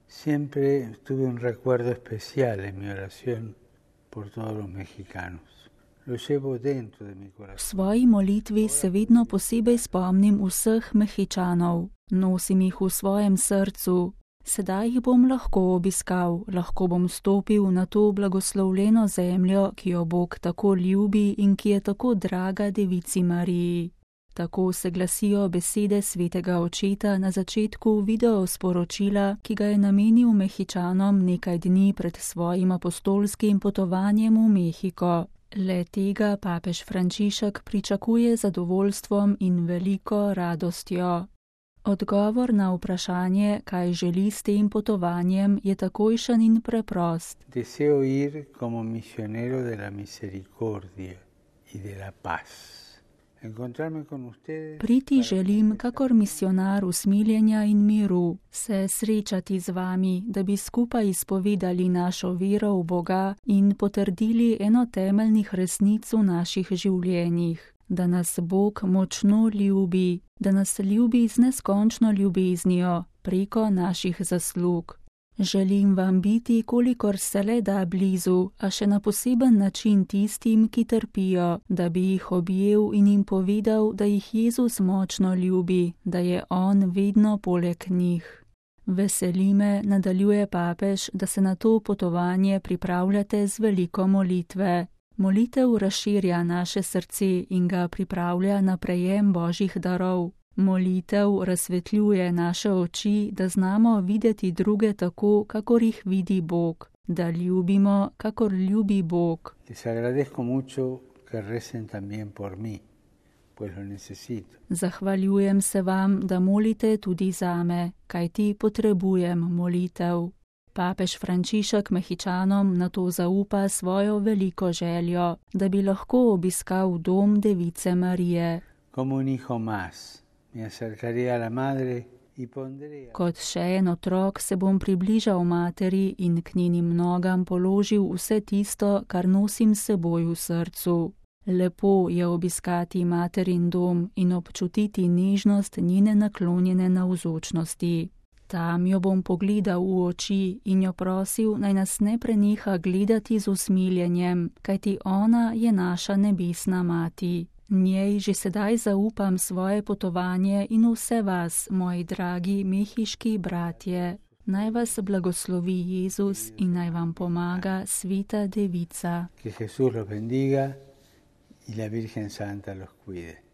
Siempre tuve un recuerdo especial en mi oración por todos los mexicanos. Lo llevo dentro de mi corazón. V svoji molitvi se vedno posebej spomnim vseh Mehičanov. Nosim jih v svojem srcu. Sedaj jih bom lahko obiskal, lahko bom stopil na to blagoslovljeno zemljo, ki jo Bog tako ljubi in ki je tako draga Devici Mariji. Tako se glasijo besede svetega očeta na začetku videosporočila, ki ga je namenil Mehičanom nekaj dni pred svojim apostolskim potovanjem v Mehiko. Le tega papež Frančišek pričakuje z zadovoljstvom in veliko radostjo. Odgovor na vprašanje, kaj želi s tem potovanjem, je takojšen in preprost. Deseo ir como misionero de la misericordia y de la paz. Priti želim kakor misionar usmiljenja in miru, se srečati z vami, da bi skupaj izpovedali našo vero v Boga in potrdili eno temeljnih resnic v naših življenjih, da nas Bog močno ljubi, da nas ljubi z neskončno ljubeznijo preko naših zaslug. Želim vam biti, kolikor se le da blizu, a še na poseben način tistim, ki trpijo, da bi jih objel in jim povedal, da jih Jezus močno ljubi, da je On vedno poleg njih. Veseli me, nadaljuje papež, da se na to potovanje pripravljate z veliko molitve. Molitev razširja naše srce in ga pripravlja na prejem Božjih darov. Molitev razsvetljuje naše oči, da znamo videti druge tako, kakor jih vidi Bog, da ljubimo, kakor ljubi Bog. Zahvaljujem se vam, da molite tudi zame, kajti potrebujem molitev. Papež Frančišek Mehičanom na to zaupa svojo veliko željo, da bi lahko obiskal dom Device Marije. Kot še en otrok se bom približal materi in k njenim nogam položil vse tisto, kar nosim s seboj v srcu. Lepo je obiskati materin dom in občutiti nežnost njene naklonjene navzočnosti. Tam jo bom pogledal v oči in jo prosil, naj nas ne preneha gledati z usmiljenjem, kajti ona je naša nebesna mati. Njej že sedaj zaupam svoje potovanje in vse vas, moji dragi mehiški bratje. Naj vas blagoslovi Jezus in naj vam pomaga Sveta Devica. Que Jesús los bendiga y la Virgen Santa los cuide.